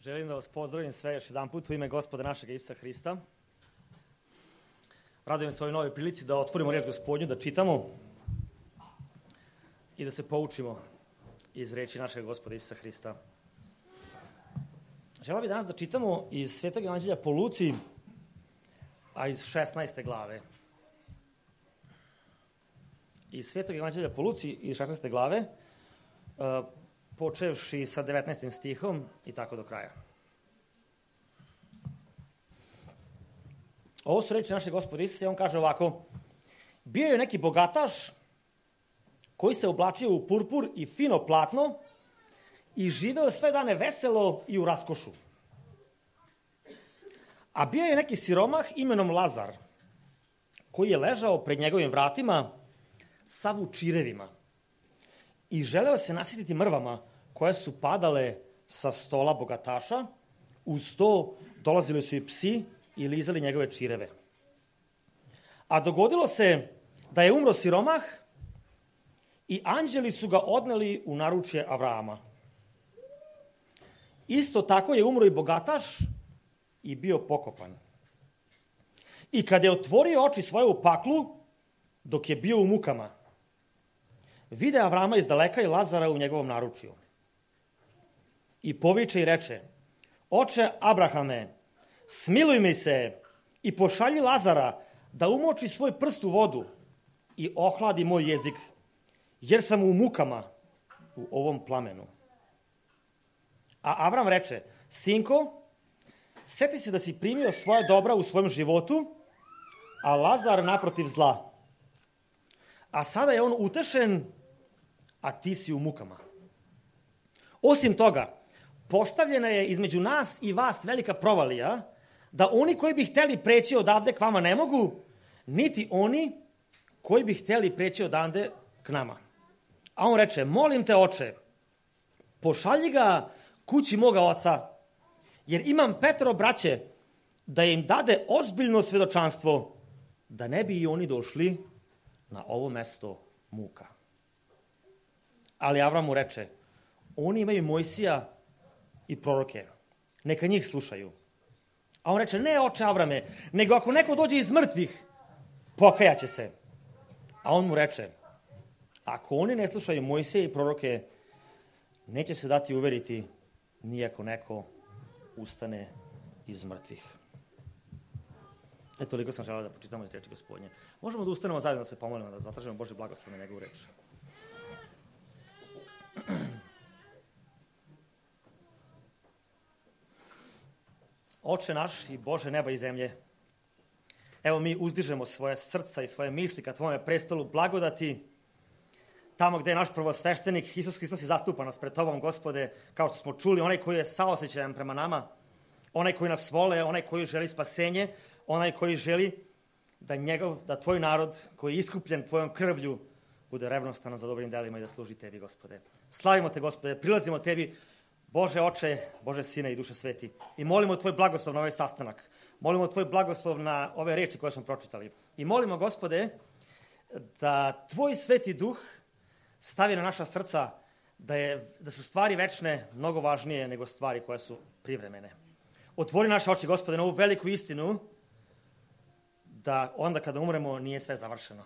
Želim da vas pozdravim sve još jedan put u ime Gospoda našeg Isusa Hrista. Radujem se ovoj novoj prilici da otvorimo riječ Gospodnju, da čitamo i da se poučimo iz reči našeg Gospoda Isusa Hrista. Želeo bih danas da čitamo iz Svetog evanđelja po Luci, a iz 16. glave. Iz Svetog evanđelja po Luci, iz 16. glave, počevši sa 19. stihom i tako do kraja. Ovo su reči našeg Gospoda Isusa i on kaže ovako: bio je neki bogataš koji se oblačio u purpur i fino platno i živeo sve dane veselo i u raskošu. A bio je neki siromah imenom Lazar koji je ležao pred njegovim vratima sav u čirevima i želeo se nasititi mrvama koje su padale sa stola bogataša. Uz to dolazili su i psi i lizali njegove čireve. A dogodilo se da je umro siromah i anđeli su ga odneli u naručje Avrama. Isto tako je umro i bogataš i bio pokopan. I kad je otvorio oči svoje u paklu, dok je bio u mukama, vide Avrama iz daleka i Lazara u njegovom naručju. I poviče i reče: oče Abrahame, smiluj mi se i pošalji Lazara da umoči svoj prst u vodu i ohladi moj jezik, jer sam u mukama u ovom plamenu. A Avram reče: sinko, sjeti se da si primio svoje dobra u svojem životu, a Lazar naprotiv zla. A sada je on utešen, a ti si u mukama. Osim toga, postavljena je između nas i vas velika provalija, da oni koji bi hteli preći odavde k vama ne mogu, niti oni koji bi hteli preći odavde k nama. A on reče: molim te, oče, pošalji ga kući moga oca, jer imam 5 braće, da im dade ozbiljno svedočanstvo, da ne bi i oni došli na ovo mesto muka. Ali Avram mu reče: oni imaju Mojsija i proroke, neka njih slušaju. A on reče: ne, oče Avrame, nego ako neko dođe iz mrtvih, pokajaće se. A on mu reče: ako oni ne slušaju Mojsija i proroke, neće se dati uveriti ni ako neko ustane iz mrtvih. Toliko sam želeo da pročitamo iz reči Gospodnje. Možemo da ustanemo zajedno da se pomolimo, da zatražimo Božji blagoslov na njegovu reč. Oče naš i Bože neba i zemlje, evo mi uzdižemo svoje srca i svoje misli ka tvome prestolu blagodati, tamo gde je naš prvosveštenik Isus Hristos i zastupa nas pred tobom, Gospode, kao što smo čuli, onaj koji je saosećajan prema nama, onaj koji nas vole, onaj koji želi spasenje, onaj koji želi da tvoj narod koji je iskupljen tvojom krvlju bude revnostan za dobrim delima i da služi tebi, Gospode. Slavimo te, Gospode, prilazimo tebi, Bože Oče, Bože Sine i Duše Sveti, i molimo tvoj blagoslov na ovaj sastanak. Molimo tvoj blagoslov na ove reči koje smo pročitali. I molimo, Gospode, da tvoj Sveti Duh stavi na naša srca da su stvari večne mnogo važnije nego stvari koje su privremene. Otvori naše oči, Gospode, na ovu veliku istinu, da onda kada umremo nije sve završeno,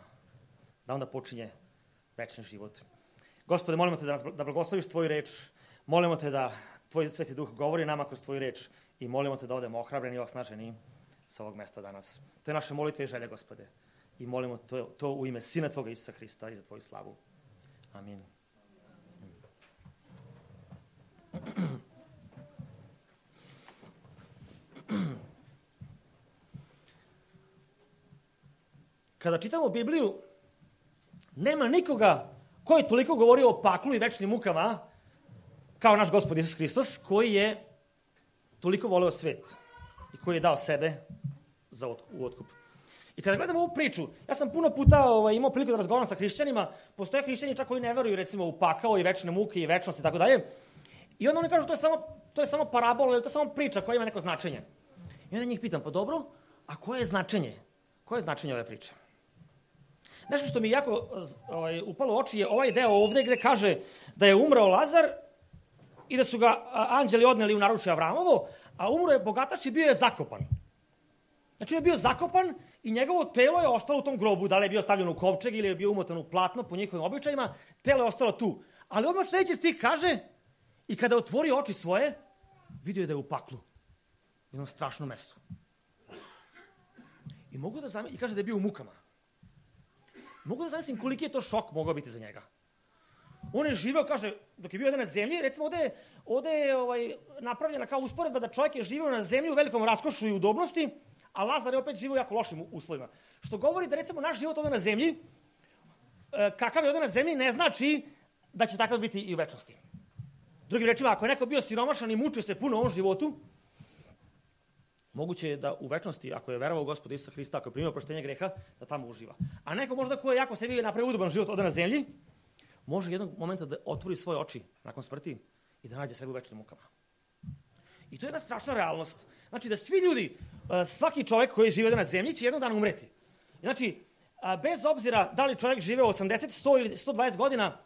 da onda počinje večni život. Gospode, molimo te da blagosloviš tvoju reč, molimo te da tvoj Sveti Duh govori nama kroz tvoju reč i molimo te da odemo ohrabreni i osnaženi sa ovog mesta danas. To je naša molitva i želja, Gospode, i molimo to u ime Sina tvoga Isusa Hrista i za tvoju slavu. Amin. Kada čitamo Bibliju, nema nikoga koji je toliko govorio o paklu i večnim mukama kao naš Gospod Isus Hristos, koji je toliko voleo svet i koji je dao sebe u otkup. I kada gledamo ovu priču, ja sam puno puta imao priliku da razgovaram sa hrišćanima, postoje hrišćani čak koji ne veruju recimo u pakao i večne muke i večnost i tako dalje. I onda oni kažu to je samo parabola ili to je samo priča koja ima neko značenje. I onda njih pitam: pa dobro, a koje je značenje? Koje je značenje ove priče? Nešto što mi jako upalo u oči je ovaj deo ovde gde kaže da je umrao Lazar i da su ga anđeli odneli u naručje Avramovo, a umro je bogataš i bio je zakopan. Znači, on je bio zakopan i njegovo telo je ostalo u tom grobu, da li je bio stavljeno u kovčeg ili je bio umotan u platno po njihovim običajima, telo je ostalo tu. Ali odmah sljedeći stih kaže, i kada otvori oči svoje, vidio je da je u paklu, u jednom strašnom mestu. I mogu da zamislim, i kaže da je bio u mukama. Mogu da zamislim koliki je to šok mogao biti za njega. On je živeo, kaže, dok je bio ovde na zemlji, recimo ovde je napravljena kao usporedba da čovjek je živeo na zemlji u velikom raskošu i udobnosti, a Lazar je opet živeo u jako lošim uslovima. Što govori da recimo naš život ovde na zemlji, kakav je ovde na zemlji, ne znači da će takav biti i u večnosti. Drugim rečima, ako je neko bio siromašan i mučio se puno u ovom životu, moguće je da u večnosti, ako je verovao u Gospoda Isusa Hrista, ako je primio oproštenje greha, da tamo uživa. A neko možda ko je jako sebi napravio udoban život ovde na zemlji, može jednog momenta da otvori svoje oči nakon smrti i da nađe sebe u večnim mukama. I to je jedna strašna realnost. Znači da svi ljudi, svaki čovjek koji žive ovde na zemlji će jednog dana umreti. Znači, bez obzira da li čovjek žive 80, 100 ili 120 godina,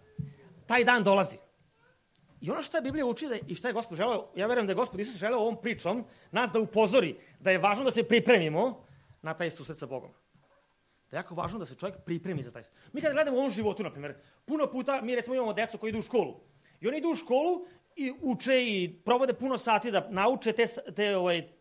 taj dan dolazi. I ono što je Biblija uči i što je Gospod želeo, ja verujem da je Gospod Isus želeo ovom pričom nas da upozori da je važno da se pripremimo na taj susret sa Bogom. Da je jako važno da se čovjek pripremi za taj susret. Mi kada gledamo u ovom životu, na primjer, puno puta mi recimo imamo decu koji idu u školu. I oni idu u školu i uče i provode puno sati da nauče te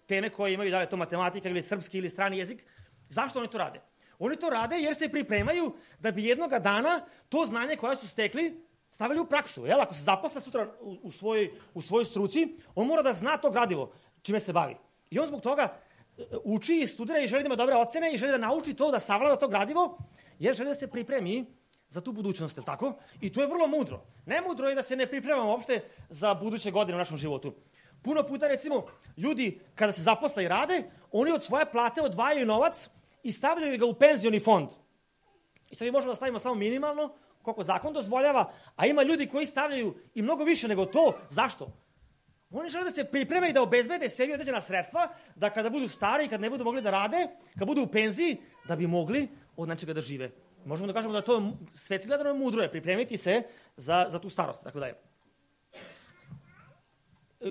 teme koje imaju, da li je to matematika ili srpski ili strani jezik. Zašto oni to rade? Oni to rade jer se pripremaju da bi jednoga dana to znanje koje su stekli stavili u praksu. Jel? Ako se zaposle sutra u svojoj struci, on mora da zna to gradivo čime se bavi. I on zbog toga uči i studira i želi da ima dobre ocene i želi da nauči to, da savlada to gradivo, jer želi da se pripremi za tu budućnost, je li tako? I to je vrlo mudro. Nemudro je da se ne pripremamo uopšte za buduće godine u našem životu. Puno puta, recimo, ljudi kada se zaposle i rade, oni od svoje plate odvajaju novac i stavljaju ga u penzioni fond. I sad mi možemo da stavimo samo minimalno, koliko zakon dozvoljava, a ima ljudi koji stavljaju i mnogo više nego to. Zašto? Oni žele da se pripreme i da obezbede sebi određena sredstva, da kada budu stari i kad ne budu mogli da rade, kad budu u penziji, da bi mogli od nečega da žive. Možemo da kažemo da to svetski gledano mudro je pripremiti se za tu starost. Tako da je.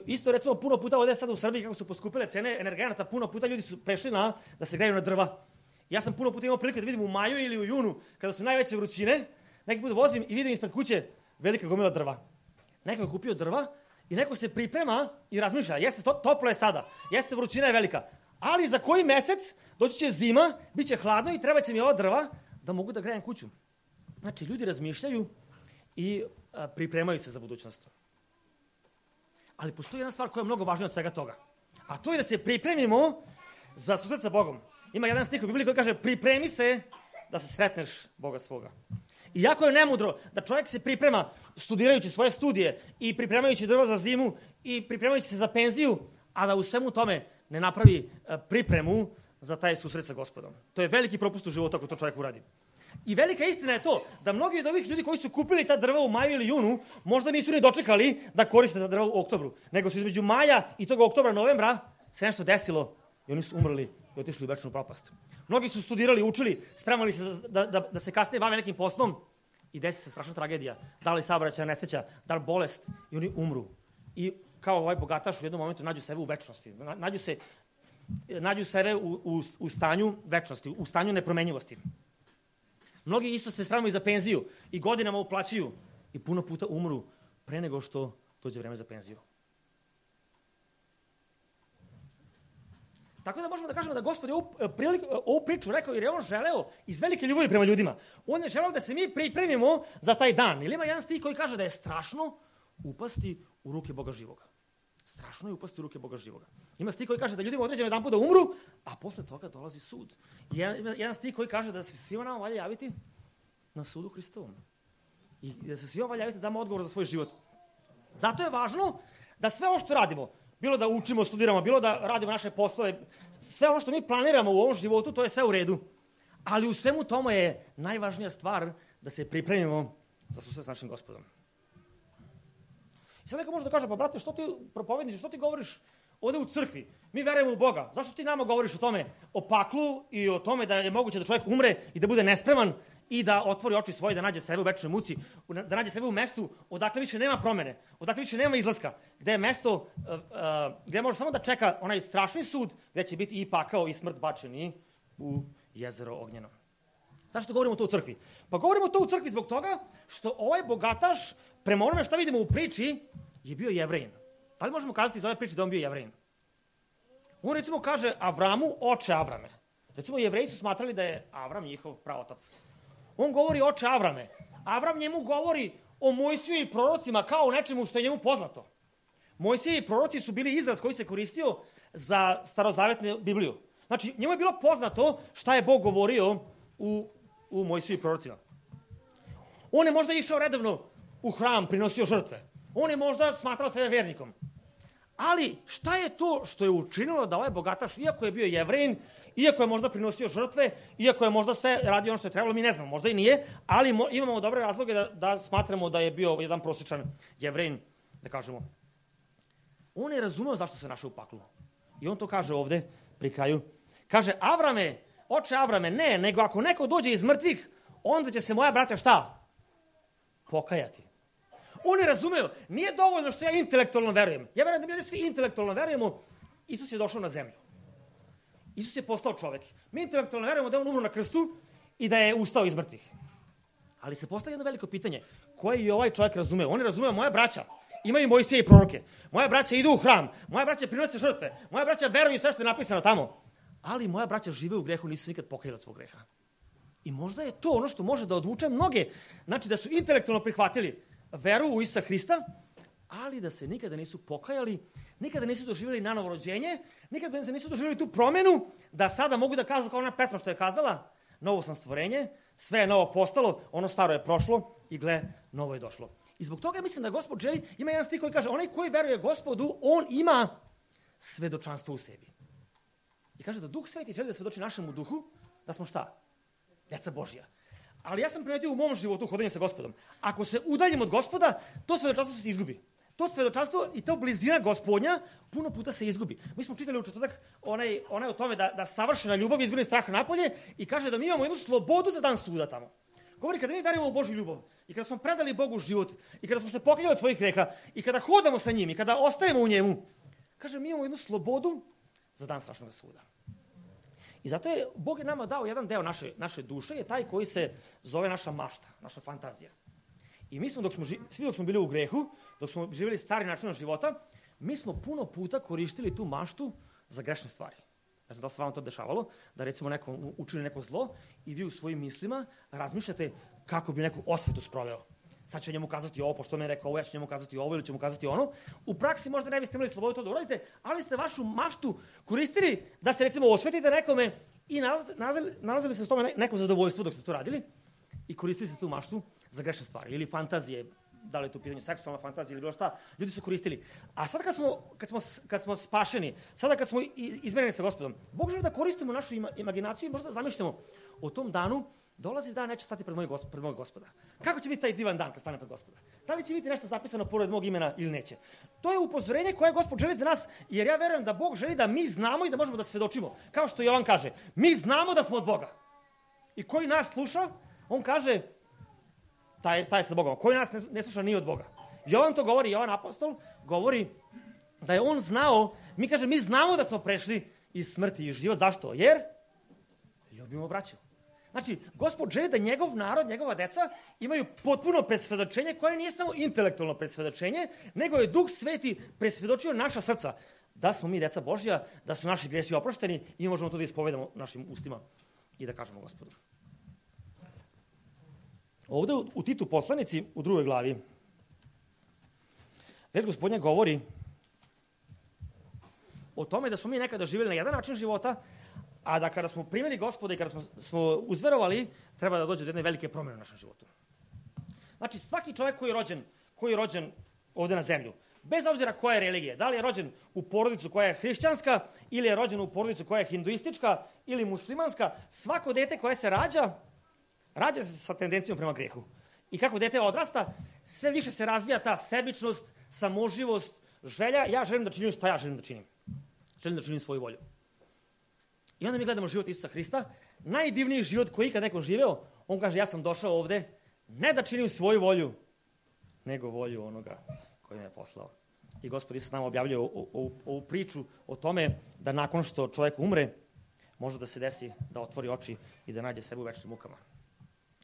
Isto recimo puno puta ovdje sad u Srbiji kako su poskupile cene energenata, puno puta ljudi su prešli da se greju na drva. Ja sam puno puta imao prilike da vidim u maju ili u junu, kada su najveće vrućine, neki put vozim i vidim ispred kuće velika gomila drva. Neko je kupio drva i neko se priprema i razmišlja, jeste toplo je sada, jeste vrućina je velika, ali za koji mesec doći će zima, bit će hladno i treba će mi ova drva da mogu da grejem kuću. Znači, ljudi razmišljaju i pripremaju se za budućnost. Ali postoji jedna stvar koja je mnogo važnija od svega toga. A to je da se pripremimo za susret sa Bogom. Ima jedan stih u Bibliji koji kaže pripremi se da se sretneš Boga svoga. I jako je nemudro da čovjek se priprema studirajući svoje studije i pripremajući drva za zimu i pripremajući se za penziju, a da u svemu tome ne napravi pripremu za taj susret sa Gospodom. To je veliki propust u životu ako to čovjek uradi. I velika istina je to da mnogi od ovih ljudi koji su kupili ta drva u maju ili junu možda nisu ni dočekali da koriste ta drva u oktobru, nego su između maja i tog oktobra, novembra se nešto desilo i oni su umrli i otišli u večnu propast. Mnogi su studirali, učili, spremali se da se kasnije bave nekim poslom i desi se strašna tragedija. Da li saobraćajna nesreća, da li bolest i oni umru. I kao ovaj bogataš u jednom momentu nađu sebe u večnosti. Nađu sebe u stanju večnosti, u stanju nepromenjivosti. Mnogi isto se spremaju za penziju i godinama uplaćuju i puno puta umru pre nego što dođe vreme za penziju. Tako da možemo da kažemo da Gospod je ovu priču rekao jer je on želeo iz velike ljubavi prema ljudima. On je želeo da se mi pripremimo za taj dan. Ili ima jedan stih koji kaže da je strašno upasti u ruke Boga živoga. Strašno je upasti u ruke Boga živoga. Ima stih koji kaže da ljudima određeno jedan put da umru, a posle toga dolazi sud. Jedan stih koji kaže da se svima nama valja javiti na sudu Hristovom. I da se svima valja javiti da damo odgovor za svoj život. Zato je važno da sve ovo što radimo, bilo da učimo, studiramo, bilo da radimo naše poslove, sve ono što mi planiramo u ovom životu, to je sve u redu. Ali u svemu tomu je najvažnija stvar da se pripremimo za susret s našim Gospodom. I sad neko može da kaže, pa brate, što ti propovjedniš, što ti govoriš ovde u crkvi? Mi verujemo u Boga. Zašto ti nama govoriš o tome, o paklu i o tome da je moguće da čovjek umre i da bude nespreman i da otvori oči svoje, da nađe sebe u večnoj muci, da nađe sebe u mestu odakle više nema promene, odakle više nema izlaska, gde je mesto gde može samo da čeka onaj strašni sud, gde će biti i pakao i smrt bačeni u jezero ognjeno. Zašto govorimo to u crkvi? Pa govorimo to u crkvi zbog toga što ovaj bogataš, prema onome šta vidimo u priči, je bio Jevrejin. Da li možemo kazati iz ove priče da on bio Jevrejin? On recimo kaže Avramu, oče Avrame. Recimo, Jevreji su smatrali da je Avram njihov praotac. On govori oče Avrame. Avram njemu govori o Mojsiju i prorocima kao o nečemu što je njemu poznato. Mojsije i proroci su bili izraz koji se koristio za starozavetnu Bibliju. Znači, njemu je bilo poznato šta je Bog govorio u Mojsiju i prorocima. On je možda išao redovno u hram, prinosio žrtve. On je možda smatrao sebe vernikom. Ali šta je to što je učinilo da ovaj bogataš, iako je bio Jevrejin, iako je možda prinosio žrtve, iako je možda sve radio ono što je trebalo, mi ne znamo, možda i nije, ali imamo dobre razloge da smatramo da je bio jedan prosječan Jevrejin, da kažemo. On je razumeo zašto se našao u paklu. I on to kaže ovde, pri kraju. Kaže, Avrame, oče Avrame, ne, nego ako neko dođe iz mrtvih, onda će se moja braća šta? Pokajati. On je razumeo, nije dovoljno što ja intelektualno verujem. Ja verujem da mi ovdje svi intelektualno verujemo, Isus je došao na zemlju. Isus je postao čovek. Mi intelektualno verujemo da je on umro na krstu i da je ustao iz mrtvih. Ali se postavlja jedno veliko pitanje, koje je ovaj čovjek razumeo? On je razumeo, moja braća imaju Mojsije i proroke. Moja braća idu u hram. Moja braća prinose žrtve. Moja braća veruju sve što je napisano tamo. Ali moja braća žive u grehu, nisu nikad pokajali od svog greha. I možda je to ono što može da odvuče mnoge. Znači da su intelektualno prihvatili veru u Isusa Hrista, ali da se nikada nisu pokajali, nikada nisu doživjeli nanovo rođenje, nikada nisu doživjeli tu promenu, da sada mogu da kažu kao ona pesma što je kazala, novo sam stvorenje, sve je novo postalo, ono staro je prošlo i gle, novo je došlo. I zbog toga mislim da Gospod želi, ima jedan stih koji kaže, onaj koji veruje Gospodu, on ima svedočanstvo u sebi. I kaže da Duh Sveti želi da svedoči našemu duhu, da smo šta? Deca Božja. Ali ja sam primetio u mom životu hodanju sa Gospodom. Ako se udaljim od Gospoda, to svedočanstvo se izgubi. To svedočanstvo i to blizina Gospodnja puno puta se izgubi. Mi smo čitali u četvrtak onaj o tome da savršena ljubav izgoni strah napolje i kaže da mi imamo jednu slobodu za dan suda tamo. Govori kada mi verujemo u Božju ljubav i kada smo predali Bogu život i kada smo se pokajali od svojih greha i kada hodamo sa njim i kada ostajemo u njemu, kaže mi imamo jednu slobodu za dan strašnog suda. I zato je Bog je nama dao jedan deo naše duše, je taj koji se zove naša mašta, naša fantazija. I mi smo, svi dok smo bili u grehu, dok smo živjeli stari način života, mi smo puno puta koristili tu maštu za grešne stvari. Ne znam da li se vam to dešavalo, da recimo neko učini neko zlo i vi u svojim mislima razmišljate kako bi neku osvetu sproveo. Sad ću njemu kazati ovo, pošto mi je rekao ovo, ja ću njemu kazati ovo ili ću mu kazati ono. U praksi možda ne biste imali slobodu to da uradite, ali ste vašu maštu koristili da se recimo osvetite nekome i nalazili se s tome neko zadovoljstvo dok ste to radili i koristili ste tu maštu za grešne stvari ili fantazije, da li je tu pitanje seksualna fantazija ili bilo šta, ljudi su koristili. A sad kad smo spašeni, sada kad smo izmenjeni sa Gospodom, Bog želi da koristimo našu imaginaciju i možda zamišljamo o tom danu, dolazi dan, neće stati pred mojeg Gospoda. Kako će biti taj divan dan kad stane pred Gospoda? Da li će biti nešto zapisano pored mog imena ili neće? To je upozorenje koje Gospod želi za nas, jer ja verujem da Bog želi da mi znamo i da možemo da svedočimo. Kao što Jovan kaže, mi znamo da smo od Boga. I koji nas sluša, on kaže, taj je sa Bogom. Koji nas ne sluša nije od Boga. Jovan to govori, Jovan apostol govori da je on znao, mi znamo da smo prešli iz smrti i život. Zašto? Jer ljubimo braću. Znači, Gospod želi da njegov narod, njegova deca imaju potpuno presvedočenje koje nije samo intelektualno presvedočenje, nego je Duh Sveti presvedočio naša srca da smo mi deca Božja, da su naši gresi oprošteni i možemo to da ispovedamo našim ustima i da kažemo Gospodu. Ovde u Titu poslanici, u 2. glavi, reč Gospodnja govori o tome da smo mi nekada živjeli na jedan način života, a da kada smo primili Gospoda i kada smo uzverovali, treba da dođe do jedne velike promjene u našem životu. Znači, svaki čovjek koji je rođen ovdje na zemlju, bez obzira koja je religija, da li je rođen u porodicu koja je hrišćanska, ili je rođen u porodicu koja je hinduistička, ili muslimanska, svako dete koje se rađa se sa tendencijom prema grehu. I kako dete odrasta, sve više se razvija ta sebičnost, samoživost, želja, ja želim da činim šta ja želim da činim. Želim da činim svoju volju. I onda mi gledamo život Isusa Hrista, najdivniji život koji ikad neko živeo, On kaže, ja sam došao ovde ne da činim svoju volju, nego volju onoga koji me je poslao. I Gospod Isus nam objavljuje ovu priču o tome da nakon što čovjek umre, može da se desi da otvori oči i da nađe sebe u večnim mukama.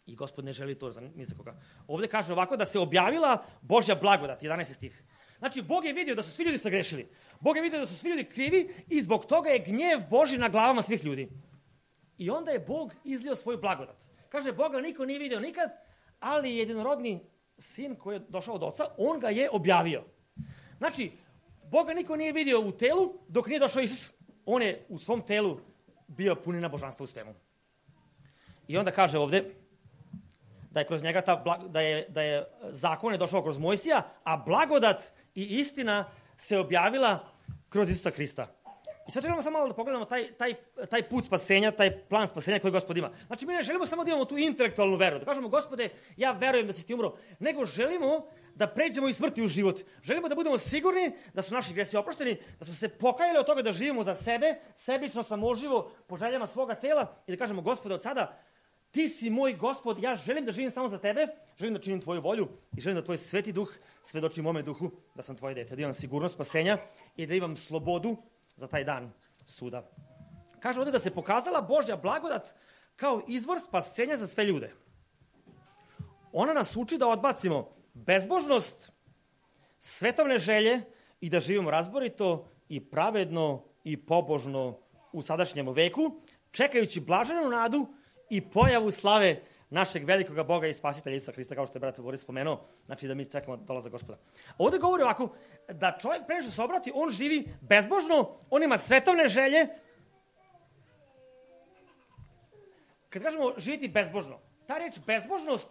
I Gospod ne želi to ni za koga. Ovde kaže ovako da se objavila Božja blagodat, 11. stih. Znači, Bog je vidio da su svi ljudi sagrešili. Bog je vidio da su svi ljudi krivi i zbog toga je gnjev Božji na glavama svih ljudi. I onda je Bog izlio svoju blagodat. Kaže, Boga niko nije vidio nikad, ali jedinorodni sin koji je došao od oca, on ga je objavio. Znači, Boga niko nije vidio u telu dok nije došao Isus. On je u svom telu bio punina božanstva u svemu. I onda kaže ovde da je kroz njega da je zakon je došao kroz Mojsija, a blagodat i istina se objavila kroz Isusa Hrista. I sad želimo samo malo da pogledamo taj put spasenja, taj plan spasenja koji Gospod ima. Znači, mi ne želimo samo da imamo tu intelektualnu veru, da kažemo, Gospode, ja verujem da si ti umro, nego želimo da pređemo iz smrti u život. Želimo da budemo sigurni da su naši gresi oprošteni, da smo se pokajali od toga da živimo za sebe, sebično, samoživo, po željama svoga tela i da kažemo, Gospode, od sada ti si moj Gospod, ja želim da živim samo za tebe, želim da činim tvoju volju i želim da tvoj sveti duh svedoči mome duhu da sam tvoje dete, da imam sigurnost spasenja i da imam slobodu za taj dan suda. Kaže ovdje da se pokazala Božja blagodat kao izvor spasenja za sve ljude. Ona nas uči da odbacimo bezbožnost, svetovne želje i da živimo razborito i pravedno i pobožno u sadašnjem veku, čekajući blaženu nadu i pojavu slave našeg velikog Boga i spasitelja Isusa Hrista, kao što je brat Boris spomenuo, znači da mi čekamo dolazak Gospoda. Ovdje govori ovako, da čovjek pre nego što se obrati, on živi bezbožno, on ima svetovne želje. Kad kažemo živjeti bezbožno, ta reč bezbožnost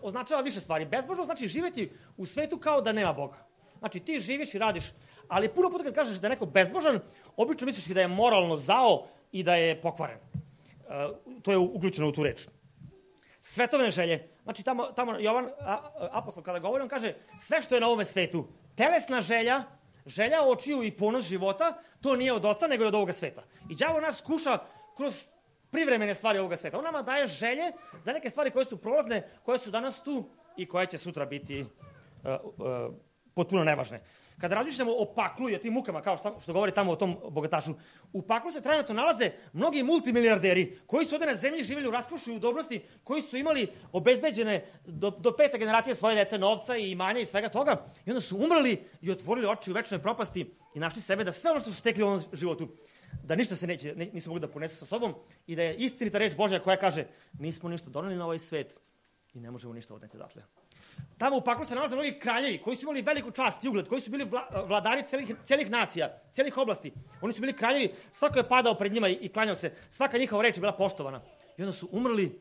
označava više stvari. Bezbožnost znači živjeti u svetu kao da nema Boga. Znači ti živiš i radiš, ali puno puta kad kažeš da je neko bezbožan, obično misliš da je moralno zao i da je pokvaren. To je uključeno u tu reč. Svetovne želje. Znači tamo Jovan apostol kada govori, on kaže sve što je na ovome svetu, telesna želja, želja očiju i ponos života, to nije od oca nego je od ovoga sveta. I đavo nas kuša kroz privremene stvari ovoga sveta. On nama daje želje za neke stvari koje su prolazne, koje su danas tu i koje će sutra biti potpuno nevažne. Kada razmišljamo o paklu i o tim mukama, kao što govori tamo o tom bogatašu, u paklu se trenutno nalaze mnogi multimilijarderi koji su ovdje na zemlji živjeli u raskošu i udobnosti, koji su imali obezbeđene do 5. generacije svoje dece novca i imanja i svega toga, i onda su umrli i otvorili oči u večnoj propasti i našli sebe da sve ono što su stekli u ovom životu, da ništa se nisu mogli da ponesu sa sobom i da je istinita reč Božja koja kaže nismo ništa doneli na ovaj svet i ne možemo ništa odneti odatle. Tamo u paklu se nalaze mnogi kraljevi koji su imali veliku čast i ugled, koji su bili vladari celih nacija, celih oblasti. Oni su bili kraljevi, svako je padao pred njima i klanjao se, svaka njihova reč je bila poštovana. I onda su umrli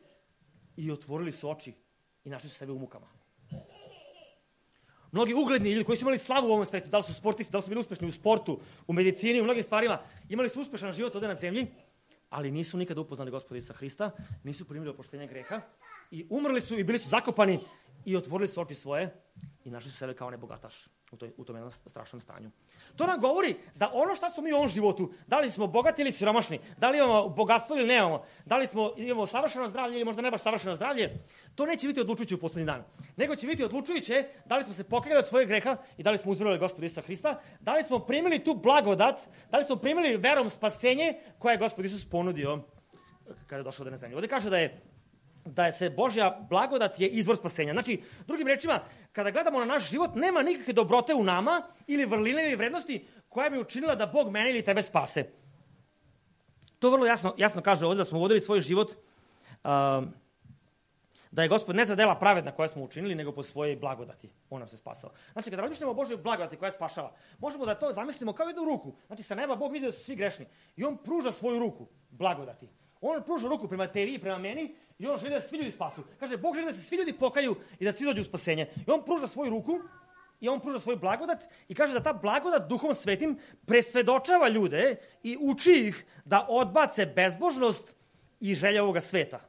i otvorili su oči i našli su sebe u mukama. Mnogi ugledni ljudi koji su imali slavu u ovom svetu, da li su sportisti, da li su bili uspešni u sportu, u medicini, u mnogim stvarima, imali su uspešan život ovdje na zemlji, ali nisu nikada upoznali Gospoda Isusa Hrista, nisu primili oproštenje greha i umrli su i bili su zakopani i otvorili su oči svoje i našli su sebe kao nebogataš u tom jednom strašnom stanju. To nam govori da ono što smo mi u ovom životu, da li smo bogati ili siromašni, da li imamo bogatstvo ili nemamo, da li imamo savršeno zdravlje ili možda ne baš savršeno zdravlje, to neće biti odlučujuće u poslednji dan. Nego će biti odlučujuće da li smo se pokajali od svojeg greha i da li smo uzverovali Gospoda Isusa Hrista, da li smo primili tu blagodat, da li smo primili verom spasenje koje je Gospod Isus ponudio kada je došao na zemlju. Ovdje kaže da je se Božja blagodat je izvor spasenja. Znači, drugim rečima, kada gledamo na naš život, nema nikakve dobrote u nama ili vrline ili vrednosti koja bi učinila da Bog mene ili tebe spase. To vrlo jasno kaže ovdje da smo vodili svoj život, da je Gospod ne za dela pravedna koja smo učinili, nego po svojej blagodati. On nam se spasao. Znači, kada razmišljamo o Božoj blagodati koja spašava, možemo da to zamislimo kao jednu ruku. Znači, sa neba Bog vidi da su svi grešni i on pruža svoju ruku blagodati. On pruža ruku prema tebi i prema meni i on želi da se svi ljudi spasu. Kaže, Bog želi da se svi ljudi pokaju i da svi dođu u spasenje. I on pruža svoju ruku i on pruža svoju blagodat i kaže da ta blagodat Duhom Svetim presvedočava ljude i uči ih da odbace bezbožnost i želje ovoga sveta.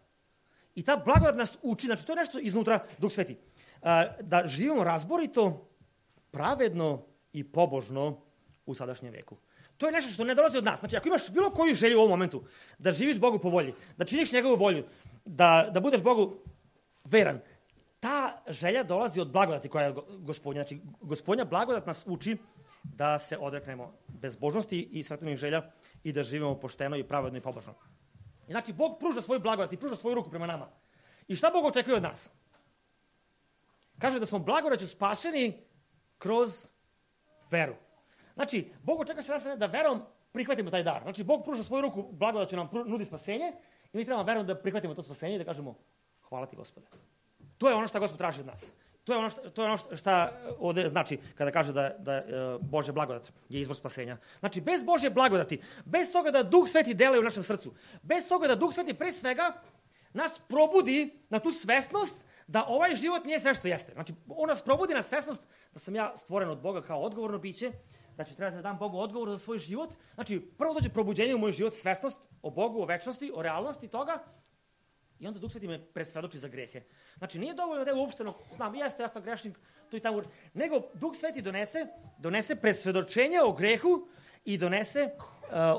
I ta blagodat nas uči, znači to je nešto iznutra Duh Sveti, da živimo razborito, pravedno i pobožno u sadašnjem veku. to je nešto što ne dolazi od nas. Znači, ako imaš bilo koju želju u ovom momentu, da živiš Bogu po volji, da činiš njegovu volju, da budeš Bogu veran, ta želja dolazi od blagodati koja je Gospodnja. Znači, Gospodnja blagodat nas uči da se odreknemo bezbožnosti i svetovnih želja i da živimo pošteno i pravedno i pobožno. Znači, Bog pruža svoju blagodat i pruža svoju ruku prema nama. I šta Bog očekuje od nas? Kaže da smo blagodaću spašeni kroz veru. Znači, Bog očekuje se nas da verom prihvatimo taj dar. Znači, Bog pruža svoju ruku, blagodaću nam nudi spasenje i mi trebamo verom da prihvatimo to spasenje i da kažemo hvala ti, Gospode. To je ono što Gospod traži od nas. To je ono što ovde znači kada kaže da Božja blagodat je izvor spasenja. Znači, bez Božje blagodati, bez toga da Duh Sveti deluje u našem srcu, bez toga da Duh Sveti pre svega nas probudi na tu svesnost da ovaj život nije sve što jeste. Znači, on nas probudi na svesnost da sam ja stvoren od Boga kao odgovorno biće, da ću trebati da dam Bogu odgovor za svoj život. Znači, prvo dođe probuđenje u moj život, svesnost o Bogu, o večnosti, o realnosti toga, i onda Duh Sveti me presvedoči za grehe. Znači, nije dovoljno da je uopšteno, znam, ja sam grešnik, tu i tamo, nego Duh Sveti donese presvedočenje o grehu i donese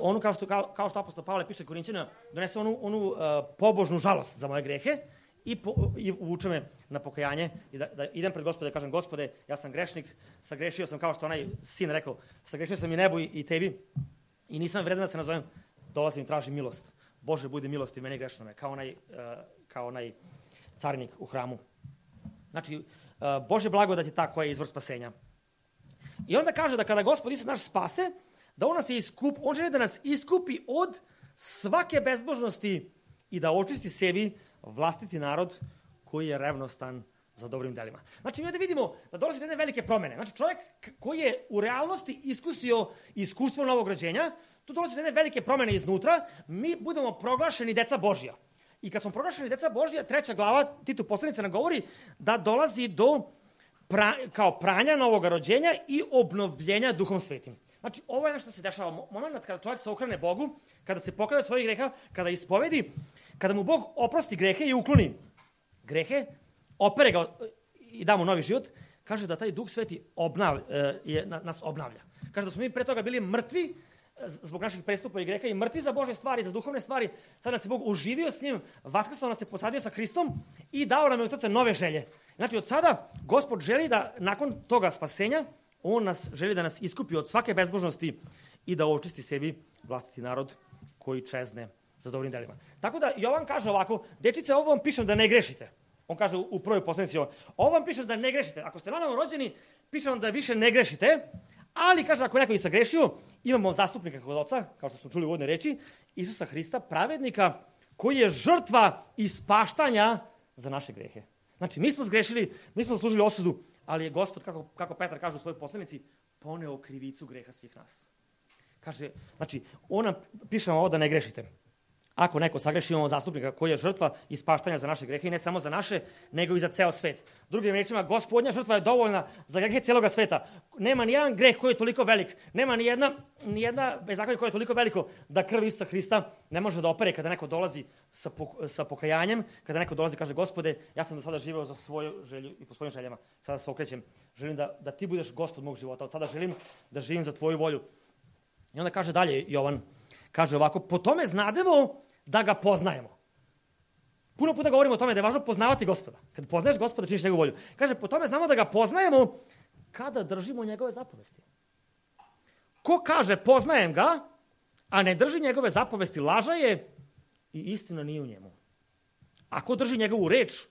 onu, kao što apostol Pavle piše Korinćanima, donese onu pobožnu žalost za moje grehe i uvuče me na pokajanje i da idem pred Gospode i kažem, Gospode, ja sam grešnik, sagrešio sam, kao što onaj sin rekao, sagrešio sam i nebu i tebi i nisam vredan da se nazovem, dolazim i tražim milost. Bože, budi milosti meni grešnome, kao onaj carinik u hramu. Znači, Božja blagodat je ta koja je izvor spasenja. I onda kaže da kada Gospod Isus naš spase, da on želi da nas iskupi od svake bezbožnosti i da očisti sebi vlastiti narod koji je revnostan za dobrim delima. Znači, mi ovdje vidimo da dolazi do jedne velike promene. Znači, čovjek koji je u realnosti iskusio iskustvo novog rođenja, tu dolazi do jedne velike promene iznutra, mi budemo proglašeni deca Božja. I kad smo proglašeni deca Božja, 3. glava Titu poslanica nam govori da dolazi do kao pranja novog rođenja i obnovljenja Duhom Svetim. Znači, ovo je nešto što se dešava. Moment kada čovjek se okrene Bogu, kada se pokaje od svojih greha, kada ispovedi, kada mu Bog oprosti grehe i ukloni grehe, opere ga i da mu novi život, kaže da taj Duh Sveti nas obnavlja. Kaže da smo mi pre toga bili mrtvi zbog naših prestupa i greha i mrtvi za Božje stvari, za duhovne stvari. Sad nas je Bog uživio s njim, vaskrsao nas je, posadio sa Hristom i dao nam je u srce nove želje. Znači, od sada Gospod želi da nakon toga spasenja, on želi da nas iskupi od svake bezbožnosti i da očisti sebi vlastiti narod koji čezne za dobrim delima. Tako da Jovan kaže ovako, dečice, ovo vam pišem da ne grešite. On kaže u prvoj poslanici, ovo vam pišem da ne grešite. Ako ste nanovo rođeni, pišem vam da više ne grešite, ali kaže, ako neko i sagrešio, imamo zastupnika kod Oca, kao što smo čuli u uvodnoj reči, Isusa Hrista, pravednika, koji je žrtva ispaštanja za naše grehe. Znači, mi smo zgrešili, mi smo služili osudu, ali je Gospod, kako Petar kaže u svojoj poslanici, poneo krivicu greha svih nas. Kaže, znači, ona piše vam ovo da ne grešite. Ako neko sagreši, imamo zastupnika koji je žrtva ispaštanja za naše grehe i ne samo za naše, nego i za ceo svet. Drugim rečima, Gospodnja žrtva je dovoljna za grehe cijeloga sveta. Nema ni jedan greh koji je toliko velik, nema ni jedna bezakonje koje je toliko veliko da krv Isusa Hrista ne može da opere kada neko dolazi sa pokajanjem, kada neko dolazi i kaže, Gospode, ja sam do sada živeo za svoju želju i po svojim željama. Sada se okrećem, želim da ti budeš Gospod mog života. Od sada želim da živim za tvoju volju. I onda kaže dalje Jovan, kaže ovako, po tome znademo da ga poznajemo. Puno puta govorimo o tome da je važno poznavati Gospoda. Kad poznaješ Gospoda, činiš njegovu volju. Kaže, po tome znamo da ga poznajemo kada držimo njegove zapovesti. Ko kaže, poznajem ga, a ne drži njegove zapovesti, laža je i istina nije u njemu. Ako drži njegovu reč,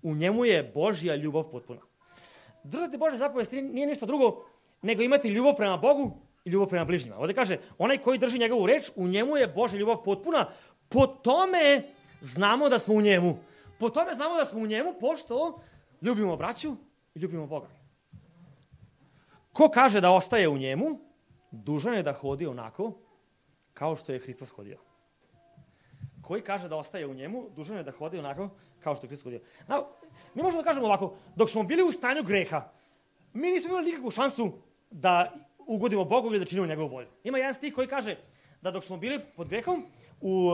u njemu je Božja ljubav potpuna. Držati Božje zapovesti nije ništa drugo nego imati ljubav prema Bogu i ljubav prema bližnjima. Ovdje kaže, onaj koji drži njegovu reč, u njemu je Božja ljubav potpuna. Po tome znamo da smo u njemu. Po tome znamo da smo u njemu, pošto ljubimo braću i ljubimo Boga. Ko kaže da ostaje u njemu, dužan je da hodi onako kao što je Hristos hodio. Koji kaže da ostaje u njemu, dužan je da hodi onako kao što je Hristos hodio. Mi možemo da kažemo ovako, dok smo bili u stanju greha, mi nismo imali nikakvu šansu da ugodimo Bogu ili da činimo njegovu volju. Ima jedan stih koji kaže da dok smo bili pod grehom, u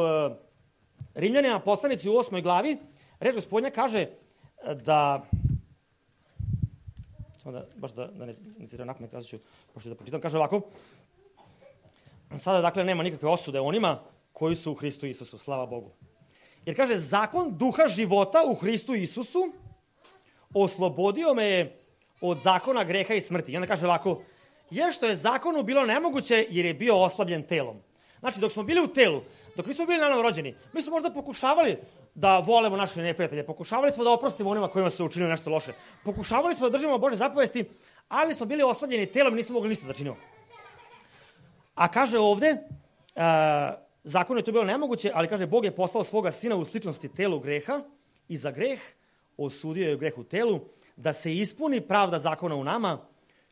Rimljanima poslanici u 8. glavi, reč Gospodnja kaže da, samo da, baš da ne citiram napamet, ja ću pošto da pročitam, kaže ovako, sada dakle nema nikakve osude onima koji su u Hristu Isusu, slava Bogu. Jer kaže, zakon duha života u Hristu Isusu oslobodio me je od zakona greha i smrti. I onda kaže ovako, jer što je zakonu bilo nemoguće jer je bio oslabljen telom. Znači, dok smo bili u telu, dok nismo bili nanovo rođeni, mi smo možda pokušavali da volemo naše neprijatelje, pokušavali smo da oprostimo onima kojima su učinili nešto loše, pokušavali smo da držimo Bože zapovesti, ali smo bili oslabljeni telom i nismo mogli ništa da činimo. A kaže ovde, zakonu je to bilo nemoguće, ali kaže, Bog je poslao svoga sina u sličnosti telu greha i za greh osudio je greh u telu, da se ispuni pravda zakona u nama,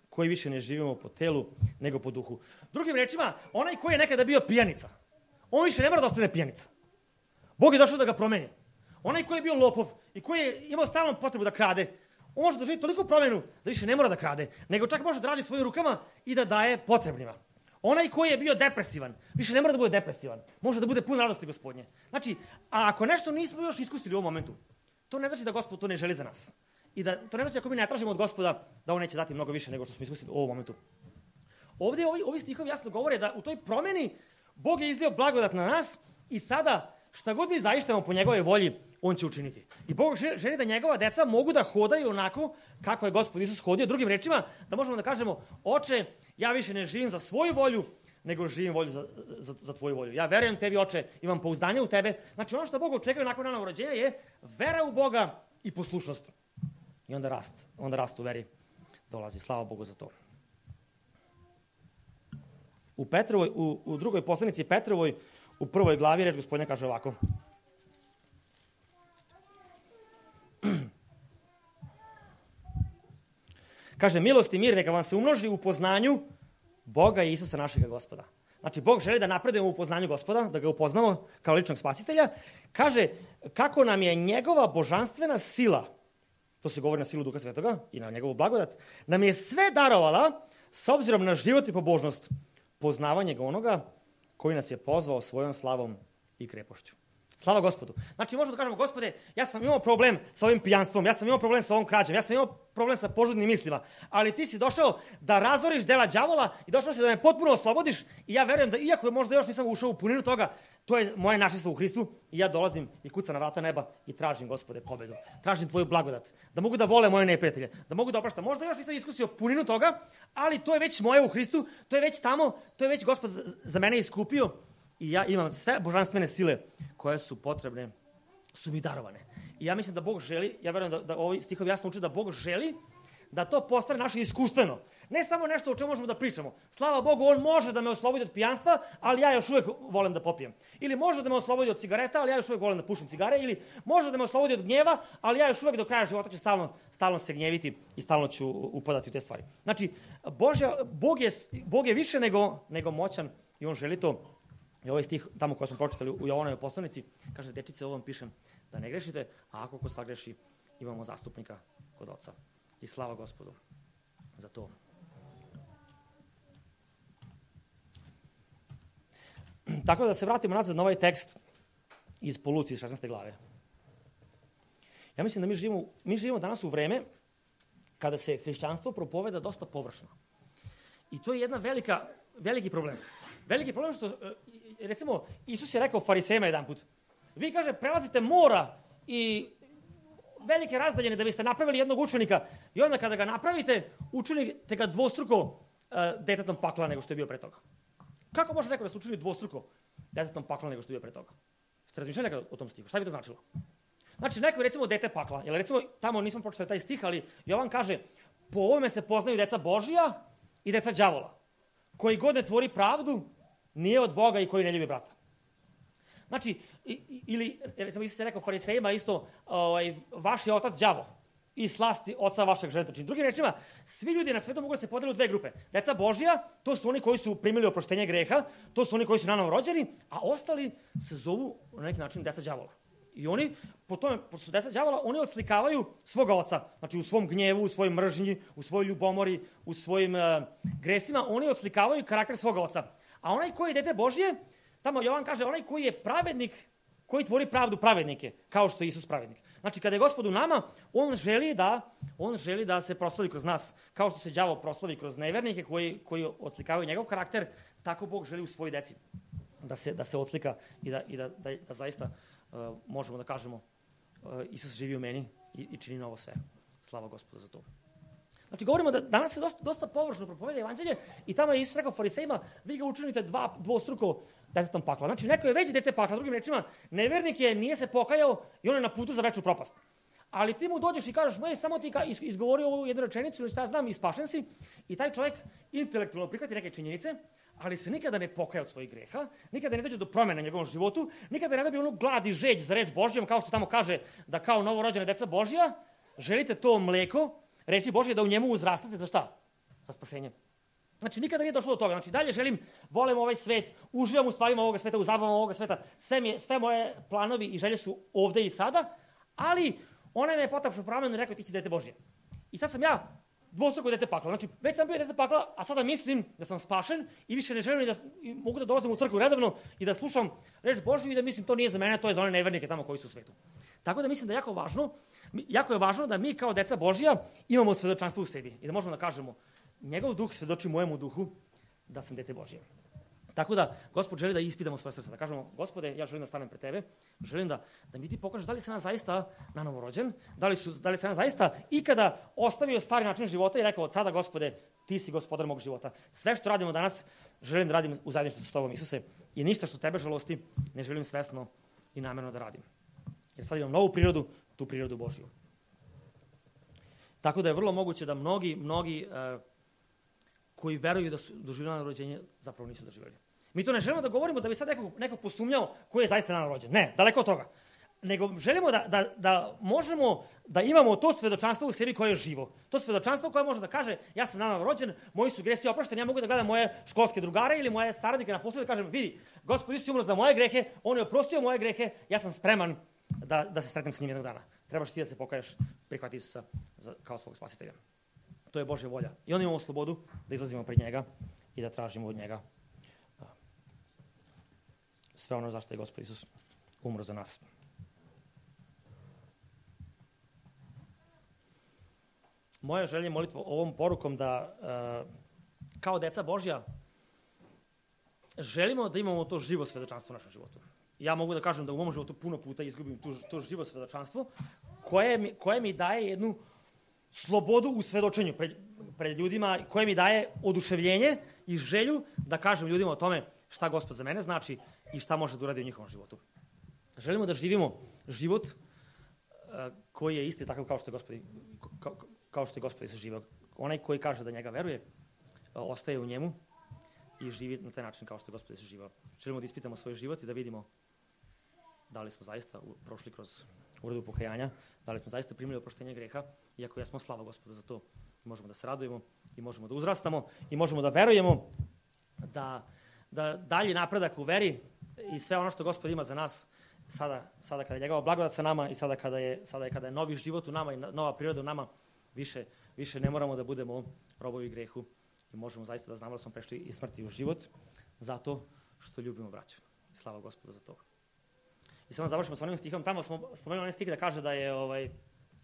koji više ne živimo po telu, nego po duhu. Drugim rečima, onaj koji je nekada bio pijanica, on više ne mora da ostane pijanica. Bog je došao da ga promeni. Onaj koji je bio lopov i koji je imao stalnu potrebu da krade, on može doživjeti toliko promenu da više ne mora da krade, nego čak može da radi svojim rukama i da daje potrebnima. Onaj koji je bio depresivan, više ne mora da bude depresivan. Može da bude pun radosti Gospodnje. Znači, a ako nešto nismo još iskusili u ovom momentu, to ne znači da Gospod to ne želi za nas. I da to ne znači ako mi ne tražimo od Gospoda da on neće dati mnogo više nego što smo iskusili u ovom momentu. Ovdje ovi stihovi jasno govore da u toj promeni Bog je izlio blagodat na nas i sada šta god mi zaištemo po njegove volji, on će učiniti. I Bog želi da njegova deca mogu da hodaju onako kako je Gospod Isus hodio. Drugim rečima, da možemo da kažemo, oče, ja više ne živim za svoju volju, nego živim volju za tvoju volju. Ja verujem tebi, oče, imam pouzdanje u tebe. Znači, ono što Bog očekuje nakon ranog rođenja je vera u Boga i poslušnost. I onda rast u veri dolazi. Slava Bogu za to. U drugoj poslanici Petrovoj, u 1. glavi, reč Gospodnja kaže ovako. Kaže, milost i mir neka vam se umnoži u poznanju Boga i Isusa našega Gospoda. Znači, Bog želi da napredujemo u poznanju Gospoda, da ga upoznamo kao ličnog spasitelja. Kaže, kako nam je njegova božanstvena sila, to se govori na silu Duha Svetoga i na njegovu blagodat, nam je sve darovala s obzirom na život i pobožnost, poznavanje ga onoga koji nas je pozvao svojom slavom i krepošću. Slava Gospodu. Znači, možemo da kažemo, Gospode, ja sam imao problem sa ovim pijanstvom, ja sam imao problem sa ovom krađom, ja sam imao problem sa požudnim mislima, ali ti si došao da razoriš dela đavola i došao si da me potpuno oslobodiš i ja verujem da, iako možda još nisam ušao u puninu toga, to je moje našinstvo u Hristu i ja dolazim i kucam na vrata neba i tražim, Gospode, pobedu. Tražim tvoju blagodat, da mogu da vole moje neprijatelje, da mogu da opraštam. Možda još nisam iskusio puninu toga, ali to je već moje u Hristu, to je već tamo, to je već Gospod za mene iskupio. I ja imam sve božanstvene sile koje su potrebne, su mi darovane. I ja mislim da Bog želi, ja verujem da ovi stihovi jasno uče da Bog želi da to postane naše iskustveno. Ne samo nešto o čemu možemo da pričamo. Slava Bogu, on može da me oslobodi od pijanstva, ali ja još uvijek volim da popijem. Ili može da me oslobodi od cigareta, ali ja još uvijek volim da pušim cigare. Ili može da me oslobodi od gnjeva, ali ja još uvijek do kraja života ću stalno se gnjeviti i stalno ću upadati u te stvari. Znači, Bog je više nego moćan i on želi to. I ovaj stih, tamo koji smo pročitali u Jovanovoj poslanici, kaže, dečice, ovo vam pišem da ne grešite, a ako ko sagreši, imamo zastupnika kod Oca. I slava Gospodu za to. Tako da se vratimo nazad na ovaj tekst iz po Luci 16. glave. Ja mislim da mi živimo danas u vreme kada se hrišćanstvo propoveda dosta površno. I to je jedna veliki problem. Veliki problem što, recimo, Isus je rekao farisejima jedan put, vi, kaže, prelazite mora i velike razdaljene da biste napravili jednog učenika i onda kada ga napravite, učinite ga dvostruko detetom pakla nego što je bio pre toga. Kako može neko da se učini dvostruko detetom pakla nego što je bio pre toga? Ste razmišljali nekada o tom stihu? Šta bi to značilo? Znači, neko je, recimo, dete pakla. Jer, recimo, tamo nismo pročitali taj stih, ali Jovan kaže, po ovome se poznaju deca Božija i deca đavola. Koji god ne tvori pravdu, nije od Boga i koji ne ljubi brata. Znači, ili, recimo, Isus je rekao farisejima isto, vaš je otac đavo i slasti oca vašeg želite. Znači, drugim rečima, svi ljudi na svetu mogu da se podele u dve grupe. Deca Božija, to su oni koji su primili oproštenje greha, to su oni koji su nanovo rođeni, a ostali se zovu na neki način deca đavola. I oni, po tome, pošto su deca đavola, oni odslikavaju svoga oca. Znači, u svom gnjevu, u svojoj mržnji, u svojoj ljubomori, u svojim gresima, oni odslikavaju karakter svoga oca. A onaj koji je dete Božije, tamo Jovan kaže, onaj koji je pravednik, koji tvori pravdu pravednike, kao što je Isus pravednik. Znači, kada je Gospod u nama, on želi da se proslavi kroz nas. Kao što se đavo proslavi kroz nevernike koji odslikavaju njegov karakter, tako Bog želi u svojoj deci da se odslika i da zaista možemo da kažemo Isus živi u meni i čini novo sve. Slava Gospodu za to. Znači, govorimo da danas se dosta površno propoveda evanđelje i tamo je Isus rekao farisejima, vi ga učinite dvostruko detetom pakla. Znači, neko je već dete pakla, drugim rečima, nevernik je, nije se pokajao i on je na putu za večnu propast. Ali ti mu dođeš i kažeš, samo ti izgovorio ovu jednu rečenicu ili šta ja znam i spašen si, i taj čovjek intelektualno prihvati neke činjenice, ali se nikada ne pokaja od svojih greha, nikada ne dođe do promjena u njegovom životu, nikada ne dobije onu glad i žeđ za reč Božjom, kao što tamo kaže da kao novorođene deca Božja, želite to mleko, reči Božje, da u njemu uzrastate za šta? Za spasenje. Znači, nikada nije došlo do toga. Znači, dalje volim ovaj svet, uživam u stvarima ovoga sveta, u zabavama ovoga sveta, sve moje planovi i želje su ovde i sada, ali ona me je potapšao promenu i rekao, ti si dete Božje. I sad sam ja dvostruko dete pakla. Znači, već sam bio dete pakla, a sada mislim da sam spašen i više ne želim da mogu da dolazim u crkvu redovno i da slušam reč Božju i da mislim to nije za mene, to je za one nevernike tamo koji su u svetu. Tako da mislim da je jako je važno da mi kao deca Božja imamo svedočanstvo u sebi i da možemo da kažemo njegov duh svedoči mojemu duhu da sam dete Božje. Tako da Gospod želi da ispitamo svoje srce, da kažemo, Gospode, ja želim da stanem pred tebe, želim da mi ti pokažeš da li sam ja zaista nanovo rođen, da li sam ja zaista ikada ostavio stari način života i rekao od sada, Gospode, ti si gospodar mog života. Sve što radimo danas, želim da radim u zajedništvu sa tobom, Isuse, i ništa što tebe žalosti ne želim svesno i namerno da radim. Jer sad imam novu prirodu, tu prirodu Božju. Tako da je vrlo moguće da mnogi koji veruju da su doživjeli nanovo rođenje, zapravo nisu doživjeli. Mi to ne želimo da govorimo da bi sad neko posumnjao ko je zaista nanovo rođen. Ne, daleko od toga. Nego želimo da možemo da imamo to svedočanstvo u sebi koje je živo. To svedočanstvo koje može da kaže, ja sam nanovo rođen, moji su gresi oprošteni, ja mogu da gledam moje školske drugare ili moje saradnike na poslu i da kažem, vidi, Gospod Isus je umro za moje grehe, on je oprostio moje grehe, ja sam spreman da se sretnem s njim jednog dana. Trebaš ti da se pokaješ, prihvati Isusa kao svog spasitelja. To je Božja volja. I onda imamo slobodu da izlazimo pred njega i da tražimo od njega sve ono zašto je Gospod Isus umro za nas. Moja želja je molitva ovom porukom da kao deca Božja želimo da imamo to živo svedočanstvo u našem životu. Ja mogu da kažem da u mom životu puno puta izgubim to živo svedočanstvo koje mi daje jednu slobodu u svedočenju pred ljudima, koje mi daje oduševljenje i želju da kažem ljudima o tome šta Gospod za mene znači i šta može da uradi u njihovom životu. Želimo da živimo život koji je isti takav kao što je Gospod Isus živeo. Onaj koji kaže da njega veruje, ostaje u njemu i živi na taj način kao što je Gospod Isus živeo. Želimo da ispitamo svoj život i da vidimo da li smo zaista prošli kroz uredu pokajanja, da li smo zaista primili oproštenje greha, iako jesmo, slava Gospoda za to. Možemo da se radujemo i možemo da uzrastamo i možemo da verujemo da dalji napredak u veri i sve ono što Gospod ima za nas sada kada je njegova blagodat sa nama i sada kada je novi život u nama i nova priroda u nama, više ne moramo da budemo robovi grehu i možemo zaista da znamo da smo prešli iz smrti u život zato što ljubimo braću. Slava Gospoda za to. I samo završimo s onim stihom. Tamo smo spomenuli onaj stih da kaže da je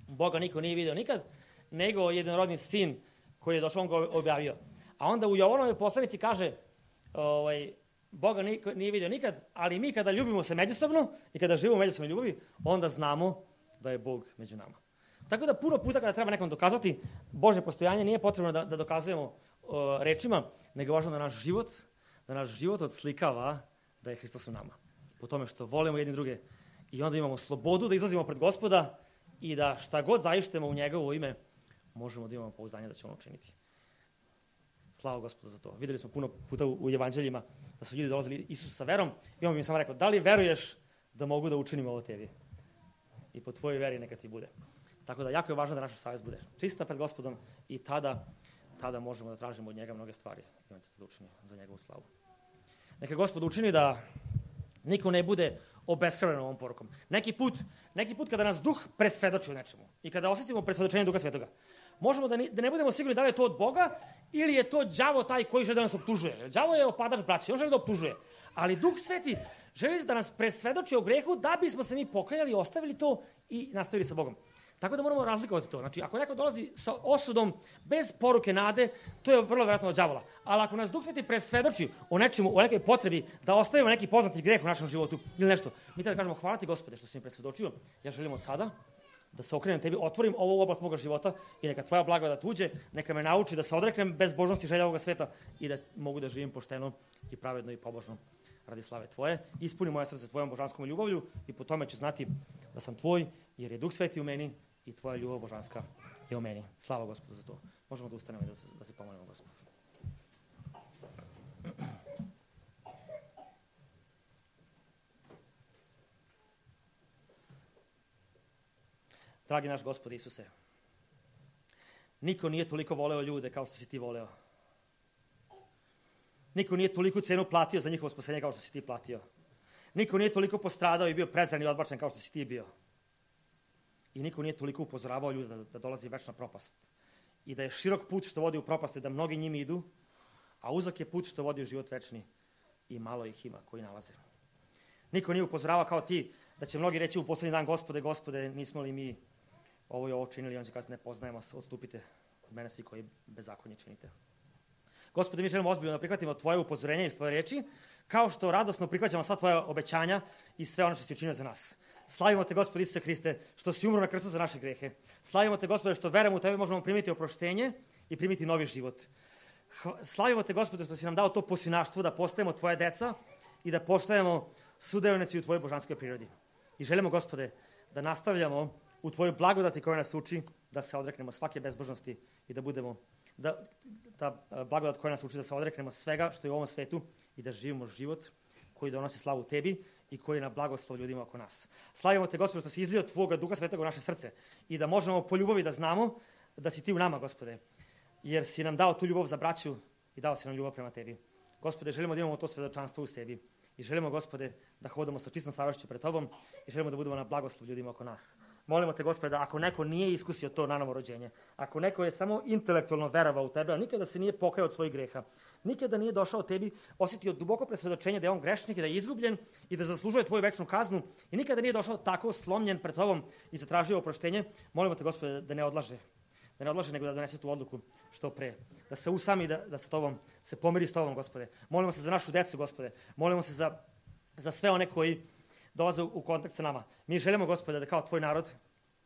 Boga niko nije video nikad, nego jednorodni sin koji je došao, on ga objavio. A onda u Jovanovoj poslanici kaže Boga niko nije video nikad, ali mi kada ljubimo se međusobno i kada živimo u međusobnoj ljubavi, onda znamo da je Bog među nama. Tako da puno puta kada treba nekom dokazati Božje postojanje, nije potrebno da dokazujemo rečima, nego je važno da naš život odslikava da je Hristos u nama. Po tome što volimo jedni druge i onda imamo slobodu da izlazimo pred Gospoda i da šta god zaištemo u njegovo ime, možemo da imamo pouzdanje da će on učiniti. Slava Gospoda za to. Videli smo puno puta u evanđeljima da su ljudi dolazili Isusu sa verom i on bi im samo rekao, da li veruješ da mogu da učinim ovo tebi? I po tvojoj veri neka ti bude. Tako da jako je važno da naša savest bude čista pred Gospodom i tada možemo da tražimo od njega mnoge stvari i on će da učini za njegovu slavu. Neka Gospod učini da niko ne bude obeshrabren ovom porukom. Neki put kada nas duh presvedoči u nečemu i kada osjećamo presvedočenje Duha Svetoga, možemo da ne budemo sigurni da li je to od Boga ili je to đavo taj koji želi da nas optužuje. Đavo je opadač braće, on želi da optužuje. Ali Duh Sveti Želi da nas presvedoči o grehu da bismo se mi pokajali, ostavili to i nastavili sa Bogom. Tako da moramo razlikovati to. Znači, ako neko dolazi sa osudom bez poruke nade, to je vrlo vjerojatno od đavola. Ali ako nas Duh Sveti presvedoči o nečemu, o nekoj potrebi da ostavimo neki poznati greh u našem životu ili nešto, mi tada kažemo hvala ti Gospode što si mi presvedočio, ja želim od sada da se okrenem tebi, otvorim ovu oblast moga života i neka tvoja blagodat uđe, neka me nauči da se odreknem bezbožnosti želja ovoga sveta i da mogu da živim pošteno i pravedno i pobožno radi slave tvoje. Ispuni moje srce tvojom božanskom ljubavlju i po tome ću znati da sam tvoj, jer je Duh Sveti u meni i tvoja ljubav božanska je u meni. Slava Gospodu za to. Možemo da ustanemo i da se pomolimo Gospodu. Dragi naš Gospod Isuse, niko nije toliko voleo ljude kao što si ti voleo. Niko nije toliko cenu platio za njihovo spasenje kao što si ti platio. Niko nije toliko postradao i bio prezran i odbačen kao što si ti bio. I niko nije toliko upozoravao ljude da dolazi večna propast. I da je širok put što vodi u propast, da mnogi njimi idu, a uzak je put što vodi u život večni i malo ih ima koji nalaze. Niko nije upozoravao kao ti da će mnogi reći u poslednji dan Gospode, Gospode, nismo li mi ovo i ovo činili, on će kazati ne poznajemo, odstupite od mene svi koji bezakonje činite. Gospode, mi želimo ozbiljno da prihvatimo tvoje upozorenje i tvoje reči, kao što radosno prihvaćamo sva tvoja obećanja i sve ono što si učinio za nas. Slavimo te, Gospode Isuse Hriste, što si umro na krstu za naše grehe. Slavimo te, Gospode, što verujemo u tebe možemo primiti oproštenje i primiti novi život. Slavimo te, Gospode, što si nam dao to posinaštvo da postajemo tvoje deca i da postajemo sudeonici u tvojoj božanskoj prirodi. I želimo, Gospode, da nastavljamo u tvojoj blagodati koja nas uči da se odreknemo svake bezbožnosti i da budemo ta blagodat koja nas uči da se odreknemo svega što je u ovom svetu i da živimo život koji donosi slavu tebi i koji je na blagoslov ljudima oko nas. Slavimo te, Gospode, što si izlio tvoga Duha Svetog u naše srce i da možemo po ljubavi da znamo da si ti u nama, Gospode, jer si nam dao tu ljubav za braću i dao si nam ljubav prema tebi. Gospode, želimo da imamo to svedočanstvo u sebi i želimo, Gospode, da hodamo sa čistom savješću pred tobom i želimo da budemo na blagoslov ljudima oko nas. Molimo te, Gospode, da ako neko nije iskusio to nanovo rođenje, ako neko je samo intelektualno verovao u tebe, a nikada se nije pokajao od svojih greha, nikada nije došao tebi, osjetio duboko presvedočenje da je on grešnik i da je izgubljen i da zaslužuje tvoju večnu kaznu i nikada nije došao tako slomljen pred tobom i zatražio oproštenje, molimo te, Gospode, da ne odlaže, nego da donese tu odluku što pre, da se usami, da sa tobom, se pomiri s tobom, Gospode. Molimo se za našu decu, Gospode. Molimo se za sve one koji dolaze u kontakt sa nama. Mi želimo, Gospode, da kao tvoj narod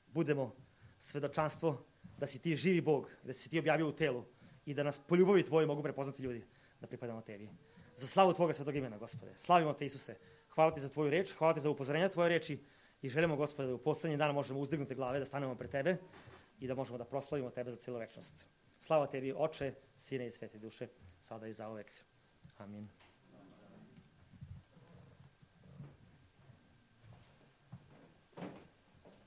budemo svedočanstvo da si ti živi Bog, da si ti objavio u telu i da nas po ljubavi tvojoj mogu prepoznati ljudi da pripadamo tebi. Za slavu tvoga svetog imena, Gospode. Slavimo te, Isuse. Hvala ti za tvoju reč, hvala ti za upozorenja tvoje reči i želimo, Gospode, da u poslednji dan možemo uzdignuti glave, da stanemo pred tebe i da možemo da proslavimo tebe za cijelu večnost. Slava tebi, Oče, Sine i Svete Duše, sada i zauvek. Amin.